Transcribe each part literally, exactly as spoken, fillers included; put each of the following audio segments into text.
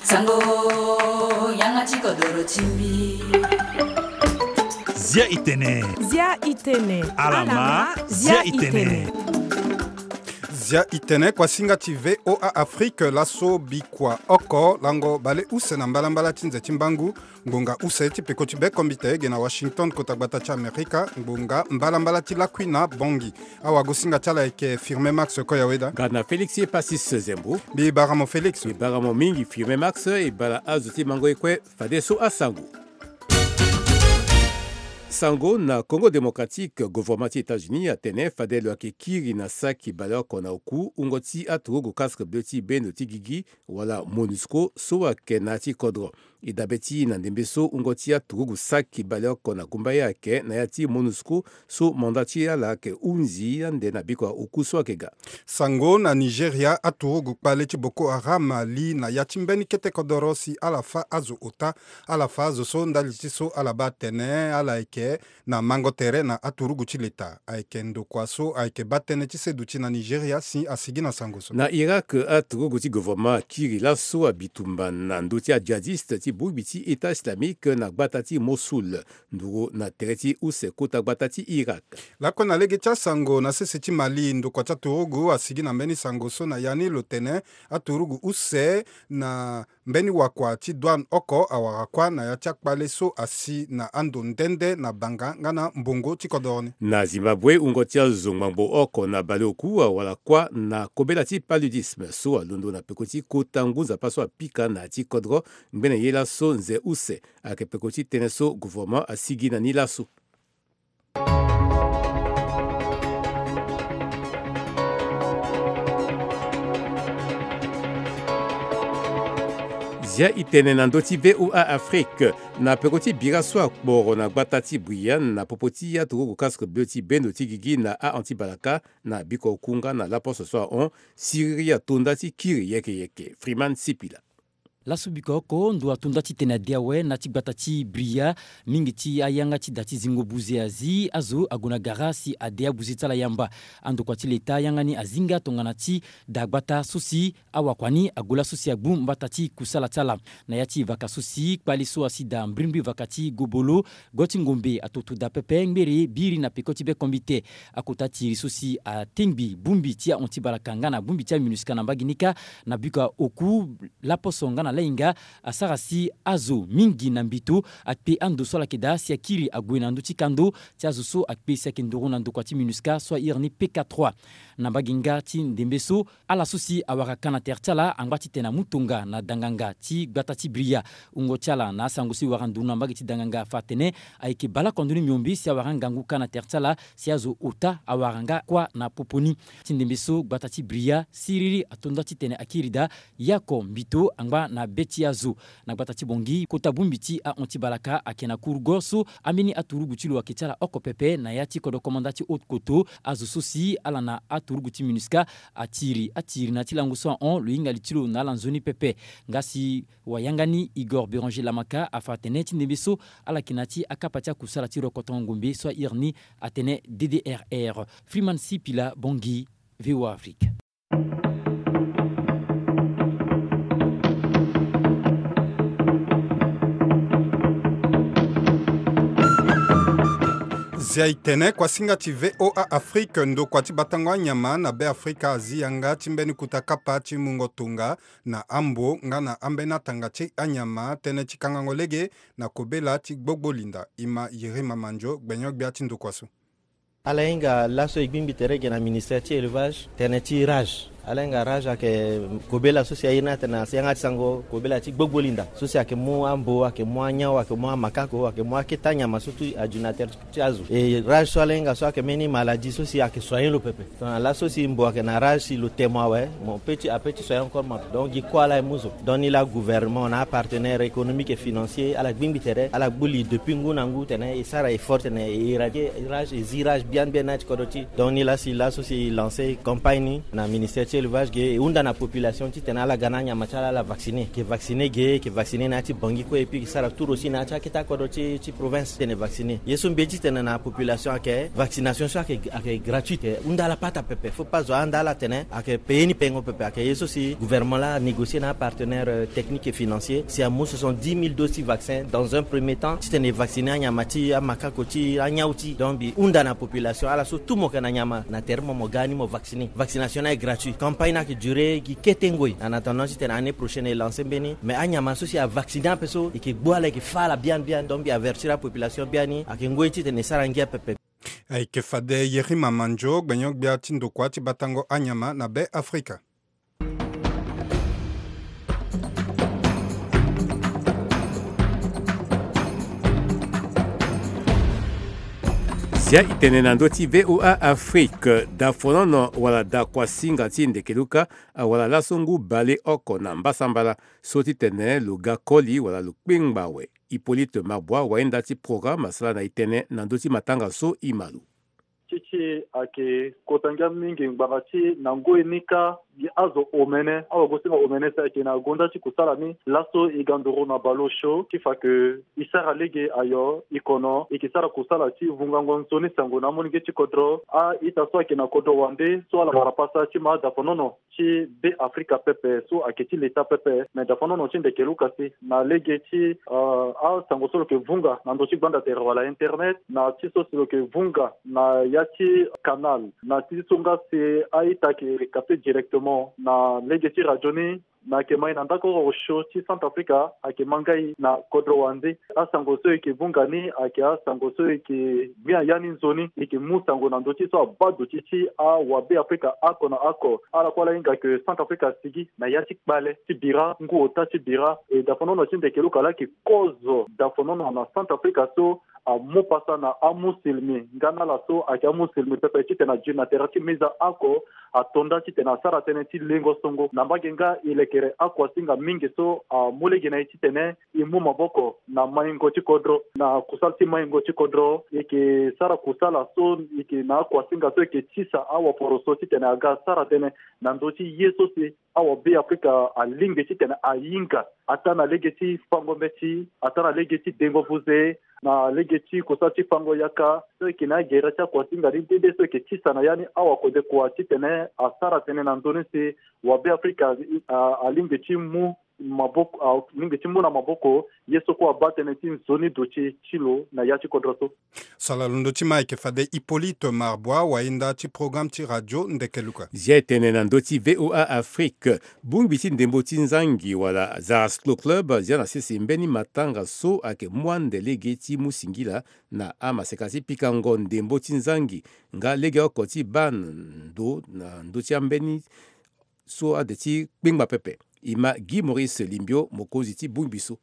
Sango, yanga ti kodoro ti mbi. Zia i tene. Zia i tene. Alama, zia i tene. Zia i tene, kuasinga ti V O A Afrique, laso bikua oko lango bale use na mbalambala ti nze ti mbangu. Ngbonga use ti peko ti bekombite ge na Washington, kota gbata ti Amerika, ngbonga mbalambala ti lakui na Bangui. Awagosinga ti ala ayeke Firmin Max Koyaweda. Nga na Félix Passis Zembo. Mbi bara mo Félix. Mbi bara mo mingi Firmin Max, e bara azo ti mango ye kue fadeso asango. Sango na Congo Démocratique, gouvernement ti États-Unis atene fade lo yeke kiri na saki baleoko na oku wungo ti aturugu casque bleu ti bendo ti gigi, wala MONUSCO, so ayeke na ya ti kodro. E dabe ti na ndembe so wungo ti aturugu saki baleoko na gumba ye ayeke na ya ti MONUSCO, so manda ti ala ayeke hunzi ande na bikua oku so ayeke ga. Sango na Nigeria, aturugu kpale ti Boko Haram ali na ya ti mbeni kete kodoro si ala fâ azo ota. Ala fâ azo so ndali ti so ala baa atene ala yeke na mango tere na aturugu ti leta. Ayeke ndokua so ayeke baa tënë ti seduti na Nigeria si asigi na sango so. Na Irak, aturugu ti gouvernement akiri laso abitumba na ndö ti ajihadiste ti bongbi ti État Islamique na gbata ti Mossoul, nduru na tere ti use kota gbata ti Irak. Lakue na lege ti asango, na sese ti Mali, ndokua ti aturugu asigi na mbeni sango so na ya ni lo tene aturugu use na mbeni wakua ti douane oko awara kuâ na ya ti akpale so asi na ando nde nde na banga nga na mbongo ti kodoro ni. Na Zimbabwe, wungo ti azo ngbangbo oko na baleoku awara kuâ na kobela ti paludisme so alondo na peko ti kota ngu nzapa so apika na ya ti kodro. Ngbene ye laso nze use ayeke peko ti tënë so gouvernement asigi na ni laso. Zia i tene na ndö ti V O A Afrique. Na peko ti bira so akporo na gbata ti Brian na popo ti aturugu casque bleu ti bendo ti gigi na ahon ti balaka na biko oku nga na laposo so ahon, siriri atonda ti kiri yeke yeke. Freeman Sipila. Laso biko oko ndo atonda titene ade awe na ti gbata ti Bria. Mingi ti ayanga ti da ti zingo buze azi azo ague na gara si ade abuze ti ala yamba. Andokua ti leta yanga ni azinga tongana ti da gbata so si awakua ni ague laso si agbu mbata ti kusala ti ala. Na ya ti vaka so si kpale so asi da mbrimbri vaka ti gobolo, go ti ngombe atoto da pepe ngbere biri na peko ti bekombite. Akota tiri so si atengbi bongbi ti ahon ti balaka nga na bongbi ti aMINUSCA na mbage ni kâ na biko oku laposo nga na lainga asara si azo mingi na mbito akpe ando so ala yeke daa si akiri ague na ndö ti kando ti azo so akpe si ayeke nduru na ndokua ti MINUSCA so airi ni P K trois. Na mbage nga ti ndembe so, ala so si awara ka na tere ti ala angba titene amu tonga na danganga ti gbata ti Bria. Wungo ti ala na asango so e wara nduru na mbage ti danganga afa atene ayeke baleoko ndo ni miombe si awara ngangu ka na tere ti ala si azo ota awara nga kuâ na popo ni. Ti ndembe so gbata ti Bria siriri atonda titene akiri daa ye oko mbito angba na be ti azo. Na gbata ti Bangui, kota bongbi ti ahon ti balaka ayeke na kurugo so ambeni aturugu ti lo ayeke ti ala oko pepe na ya ti kodro komanda ti haute koto. Azo so si ala na aturugu ti MINUSCA atiri atiri na ya ti lango so ahon lo hinga li ti lo na ala nzoni pepe. Nga si wayanga ni Igor Béranger Lamaka afa atene ti ndembe so ala yeke na ya ti akapa ti akusala ti rokotongo ngombe so airi ni atene D D R R. Freeman Sipila, Bangui, V O A Afrique. Zia i tene, kuasinga ti V O A Afrique, ndokua ti batango anyama na Be Afrika azi yanga ti mbeni kuta kapa ti mungo tonga na ambo nga na ambeni atanga ti anyama tënë ti kangango lege na kobela ti gbogbo linda. Ima Yirima Mandio, gbenyo-gbia ti ndokua so. Ala hinga laso e gbingbi tere ge na ministère ti élevage, tene ti rage. Ala hinga rage ayeke kobela so si airi ni atene na yanga ti sango kobela ti gbogbo linda. So si ayeke mu ambo, ayeke mu anyao, ayeke mu amakako, ayeke mu akete anyama so tout adu na tere ti azo. E rage so ala hinga so ayeke mbeni maladie so si ayeke soigner lo pepe. Tongana laso si mbo ayeke na rage si lo te mo awe, mo peut ti, apeut ti soigner encore mo ape. Donc gi kue ala e mu zo. Donc ni la gouvernement na apartenaire économique et financier ala gbingbi tere, ala gbu li depuis ngu na ngu tene e sara effort tene e éradiquer rage, e zi rage biani biani na ya ti kodro ti. Donc ni la si laso si e lancer campagne ni na ministère ti Élevage ge e hunda na population titene ala ga na anyama ti ala ala vacciner, e ke vacciner ge, e ke vacciner na ya ti Bangui kue, et puis e ke sara tour aussi na ya ti akete akodro ti ti province titene vacciner. Ye so mbi ye titene na population ayeke vaccination so ayeke ayeke gratuite, e hunda ala pata pepe. Faut pas zo ahunda ala atene ayeke payer ni pengo pepe. Ayeke ye so si gouvernement laa anégocier na apartenaire technique et financier si amu soixante-dix mille doses ti vaccin dans un premier temps titene e vacciner anyama ti amakako ti anyau ti. Donc mbi hunda na population, ala so tout mo yeke na nyama na tere mo mo ga ni mo vacciner. Vaccination ni ayeke gratuit. Campagne ni ayeke durer gi kete ngoi. En attendant titene année prochaine e lancer mbeni, mais anyama so si a vacciner ape so e ke gbu ala, e ke fa ala biani biani. Donc mbi avertir apopulation biani, ayeke ngoi titene e sara ngia pepe. Ayeke fade Yerima Manjo, gbenyo-gbia ti ndokua ti batango anyama na Be Afrika. Zia e tene na ndö ti V O A Afrique. Dafonono wala dakuasinga ti ndekeluka awara laso ngu baleoko na mbasambala so ti tene lo ga koli wala lo kpengba awe. Hippolyte Mabua, wahinda ti programme, asara na e tënë na ndö ti matanga so e ma lo. Ti ti ayeke kota ngia mingi ngbanga ti na ngoi ni kâ gi azo omene, awagosinga omene si ayeke na gonda ti kusala ni. Laso e ga nduru na baleosio ti fa ke e sara lege ayo, e kono e ke sara kusala ti vungango nzoni sango na amolenge ti kodro. A-ita so ayeke na kodro wande so ala wara pasa ti ma adaponono ti Be Afrika pepe so ayeke ti leta pepe. Me daponono ti ndekeluka si na lege ti, ah, asango so lo yeke vunga na ndö ti gbanda tere wala internet, na ti so si lo yeke vunga na ya ti canal, na ti so nga si a-ita ayeke capter directement na lege ti radio ni, me ayeke ma e na ndako oro osio ti Centrafrique, ayeke ma ngai na kodro wande. Asango so e yeke vunga ni ayeke asango so e yeke gbia ya ni nzoni, e yeke mu sango na ndö ti so abaa duti ti awabe Afrika oko na oko. Ala kue ala hinga ke Centrafrique asigi na ya ti kpale ti bira, ngu ota ti bira. E daponono ti ndekeluka laa ayeke kozo daponono na Centrafrique so amu pasa na amusilmi nga na ala so ayeke amusilmi pepe titene adiri na tere ti meza oko, ato nda titene asara tënë ti lengo songo na mbage nga e lekere akuasinga mingi so amu lege na e titene e mu maboko na maingo ti kodro. Na kusala ti maingo ti kodro, e yeke sara kusala so e yeke na akuasinga so e yeke tisa awaporo so titene aga asara tënë na ndö ti ye so si awabe Afrika alingbi titene ahinga, ataa na lege ti fango mbeti, ataa na lege ti dengo vuze, na lege ti kusala ti fango yaka. So e yeke na agere ti akuasinga ni nde nde so e yeke tisa na ya ni awakode kua titene asara tënë na ndö ni si wabe Afrika, ah, alingbi ti mu maboko, alingbi ti mu na maboko ye so kue abaa tënë ti nzoni duti ti lo na ya ti kodro so. So ala londo ti ma ayeke fade Hippolyte Mabua, wahinda ti programme ti radio ndekeluka. Zia e tene na ndö ti V O A Afrique. Bongbi ti ndembo ti nzangi wala Zarasclo Club azia na sese mbeni matanga so ayeke mu ande lege ti mu singila na amaseka ti pikango ndembo ti nzangi nga legeoko ti baa ndo na ndö ti ambeni so ade ti kpengba pepe. E ma Guy Maurice Limbio, mokonzi ti bongbi so.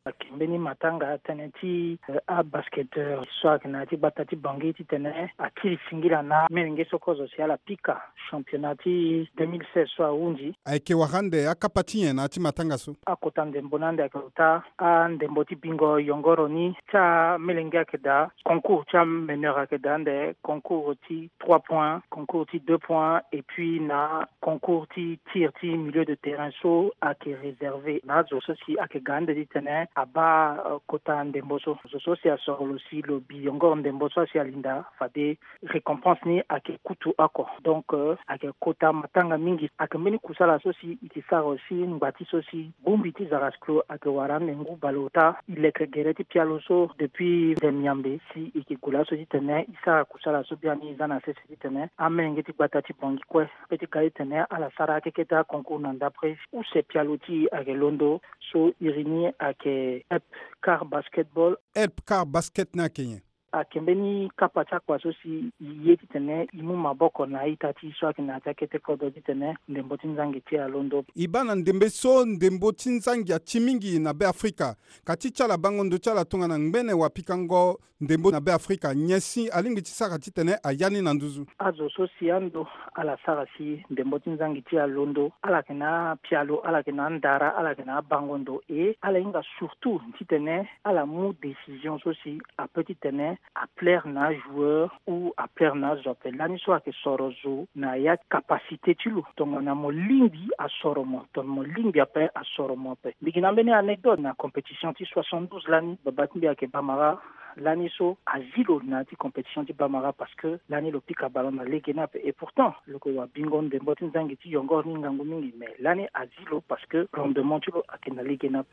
Ayeke mbeni matanga tënë ti, eh, abasketteur so ayeke na ya ti gbata ti Bangui titene akiri singila na amolenge so kozo si ala pika championnat ti deux mille seize so ahunzi. Ayeke wara ande akapa ti nyen na ya ti matanga so? Akota ndembo ni ande ayeke ota andembo ti bingo yongoro ni ti amolenge ayeke daa concours ti ameneur ayeke daa ande concours ti trois points, concours ti deux points, et puis na concours ti tir ti milieu de terrain so ayeke réservé na azo so si ayeke ga ande titene abaa, euh, kota ndembo so. Zo so si asoro lo si lo bi yongoro ndembo so asi alinda fade récompense ni ayeke kutu oko. Donc, euh, ayeke kota matanga mingi. Ayeke mbeni kusala so si e ke sara aussi ngbati so si bongbi ti Zarasclo ayeke wara ande ngu baleota. E leke gere ti pialo so depuis Demiambe si e ke gue laso titene e sara kusala so biani e za na sese titene amolenge ti gbata ti Bangui kue ape ti ga titene ala sara akeketa concours na ndapre use pialo ti e ayeke londo. So iri ni ayeke Help Car Basketball. Help Car Basket ni ayeke nyen? Ayeke mbeni kapa ti akua so si e ye titene e mu maboko na a-ita ti e so ayeke na ya ti akete kodro titene ndembo ti nzangi ti e alondo. E baa na ndembe so ndembo ti nzangi ati mingi na Be Afrika. Ka ti ti ala bango ndo ti ala tongana ngbene wapikango ndembo na Be Afrika, nyen si alingbi ti sara titene aya ni na nduzu? Azo so si ando ala sara si ndembo ti nzangi ti e alondo, ala yeke na apialo, ala yeke na andara, ala yeke na abango ndo, e ala hinga surtout titene ala mu décision so si ape titene Aplaire na ajoueur ou aplaire na azo ape. Lani so ayeke soro zo na ya ti capacité ti lo. Tongana mo lingbi asoro mo, tongana mo lingbi ape asoro mo ape. Mbi gi na mbeni anecdote na compétition ti soixante-douze lani, baba ti mbi ayeke bamara. Lani so azi lo na ya ti compétition ti bamara parce que lani lo pika ballon na lege ni ape. Et pourtant lo yeke wabingo ndembo ti nzangi ti yongoro ni ngangu mingi, mais lani azi lo parce que rendement ti lo ayeke na lege ni ape.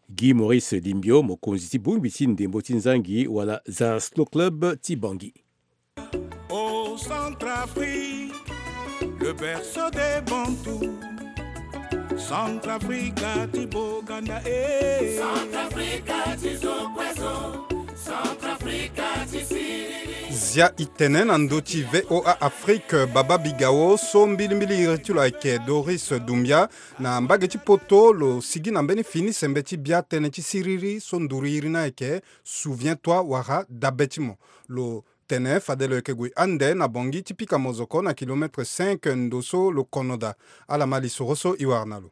Guy Maurice Limbio, mokonzi ti bongbi ti ndembo ti nzangi wala Za Slow Club ti Bangui. Au Centrafrique, le berceau des Bantous. Centrafrica ti Boganda, eh. Centrafrica ti zo kue zo. Centrafrica ti siriri. Zia i tene na ndö ti V O A Afrique, Baba Bigao, so mbilimbili iri ti lo ayeke Doris Doumbia. Na mbage ti poto lo sigi na mbeni fini sembe ti bia tënë ti siriri so nduru iri ni ayeke Souviens-toi wala dabe ti mo. Lo tene fade lo yeke gue ande na Bangui ti pika mozoko na kilomètre cinq ndo so lo kono daa. Ala ma lisoro so e wara na lo.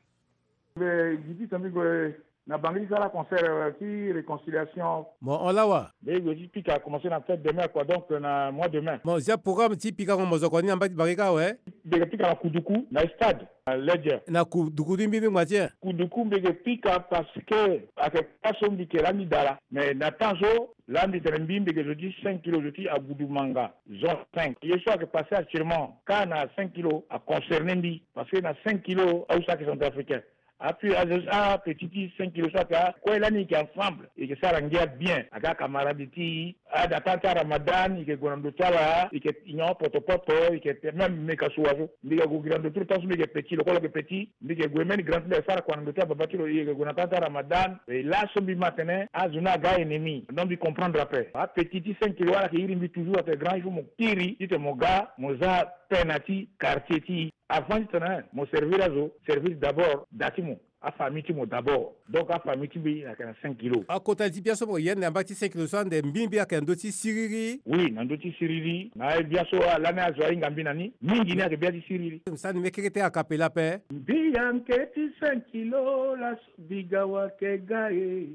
Mbi gi ti tene mbi gue na Bangui ti sara concert, euh, ti réconciliation. Mo hon laa wa? Mbi gue ti pika, commencer na fête de mai, quoi, donc, euh, na mois de mai. Mo zia programme ti pikango mozoko ni na mbage ti Bangui kâ awe? Mbi yeke pika na Kuduku, na stade, na Ledger. Na Kuduku ni mbi ni ngba ti e? Kuduku mbi yeke pika parce que ayeke place so mbi yeke laa mbi daa laa. Mais na temps so laa mbi tene mbi, mbi yeke zo ti cinq kilos, zo ti Agudumanga, zone cinq. Ye so ayeke passé actuellement kâ na cinq kilos aconcerné mbi, parce que na cinq kilos ahusa ayeke centrafricain. Ape, a, apetit ti cinq kilos so ayeke, akue lani e yeke ensemble, e yeke sara ngia bien. Ayeke acamarade ti e, a, na temps ti aramadan e yeke gue na ndö ti ala, e yeke nyon poto poto, e yeke même meka suwa so. Mbi yeke gue gi na ndö ti lo temps so mbi yeke petit, lo kue lo yeke petit. Mbi yeke gue même grand ti mbi ayeke sara kua na ndö ti ababa ti lo, e yeke gue na temps ti aramadan. E laso mbi ma atene azo ni aga ennemi. Donc mbi comprendre ape. Apetit ti cinq kilos wala ayeke iri mbi toujours atene grand, il faut mo kiri titene mo ga mo za pena ti quartier ti e. Avant titene mo servir azo, servir d'abord da ti mo, afamille ti mo d'abord. Donc afamille ti mbi ayeke na cinq kilos. Akota ti bia so mo yen na mbage ti cinq kilos so ande mbi mbi ayeke na ndö ti siriri? Oui, na ndö ti siriri. Na bia so lani azo ahinga mbi na ni mingi ni ayeke bia ti siriri. Mo sara ni mbi keke te a cappella ape. Mbi yeke ti cinq kilos laso Bigao ayeke ga e.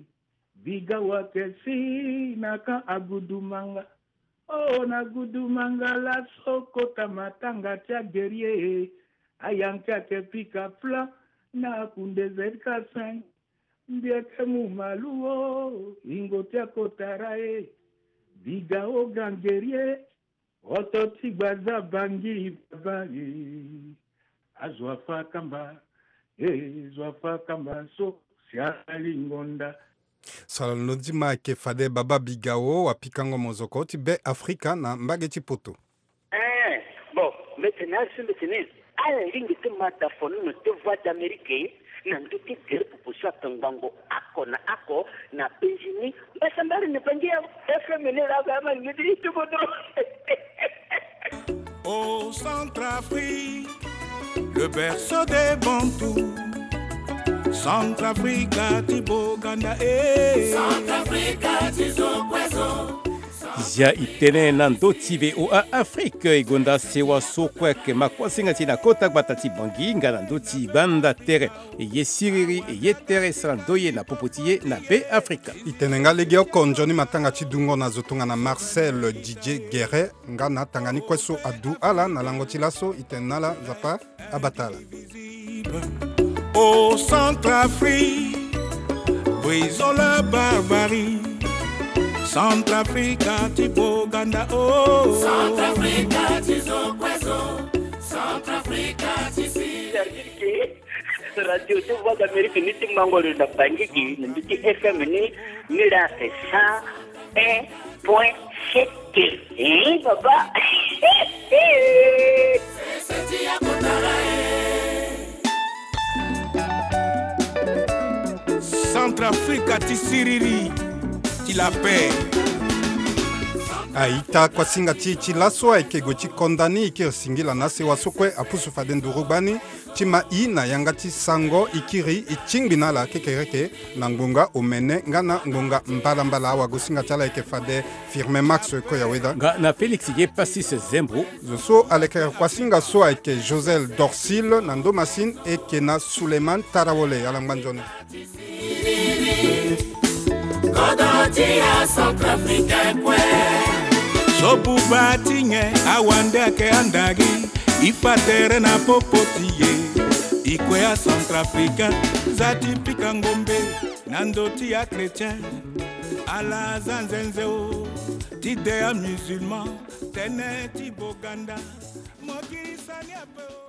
Bigao ayeke si na camp Agudumanga. Oh, na Agudumanga laso kota matanga ti aguerrier. Ayanke ayeke pika plan na akunde Z K cinq. Mbi yeke mu malu o, ingo ti akota ra e. Bigao grand guerrier. Oto ti gbaza Bangui baba e. Azo afa kamba e, zo afa kamba so si ala lingo nda. So ala londo ti ma ayeke fade Baba Bigao, wapikango mozoko ti Be Afrika na mbage ti poto. Eh, bon, mbi tene azo, mbi tene ala lingbi ti ma da fonono ti Voix d'Amérique na ndö ti gere popo so atongbango oko na oko na penzi ni. Mbasambari ni Bangui ya F M ni la ga ma ni ti kodro. Au Centrafrique, le berceau des Bantous. Centrafrica ti Boganda, eh. Centrafrica ti zo kue zo. Zia i tene na ndö ti V O A Afrique, e gonda sewa so kue ayeke ma kuasinga ti e na kota gbata ti Bangui nga na ndö ti banda tere. E ye siriri, e ye tere, sara ndoye na popo ti e na Be Afrika. I tene nga legeoko nzoni matanga ti dungo na zo tongana Marcel Didier Guéret, nga na tanga ni kue so adu ala na lango ti laso, i tene na ala Nzapa abata ala. Au Centrafrique, brisons la barbarie. Centrafrica ti Boganda, oh. Centrafrica ti zo kue zo. Centrafrica ti si. Radio ti Voix d'Amérique ni ti Mbangolo na Bangui gi na ndö ti F M ni, ni la cent un point sept. Hein, papa? Centrafrica ti siriri, ti la paix. A-ita, kuasinga ti e ti laso ayeke gue ti konda ni, e kiri singila na asewa so kue apusu fade nduru gbani ti ma i na yanga ti sango, e kiri e tingbi na ala kekereke na ngbonga omene nga na ngbonga mbalambala. Awagosinga ti ala ayeke fade Firmin Max Koyaweda. Nga na Félix Ye Passis Zembo. Zo so alekere kuasinga so ayeke Josel Dorsil, na ndo masini e yeke na Suleiman Tarawole. Ala ngba nzoni. Ndo ti acentrafricain kue. So buba ti nyen awande ayeke andari. E fa tere na popo ti e. E kue acentrafricain. Za ti pika ngombe na ndo ti achrétien. Ala za nzenze o. Ti de amusulman. Tënë ti boganda. Mo kiri sani ape o.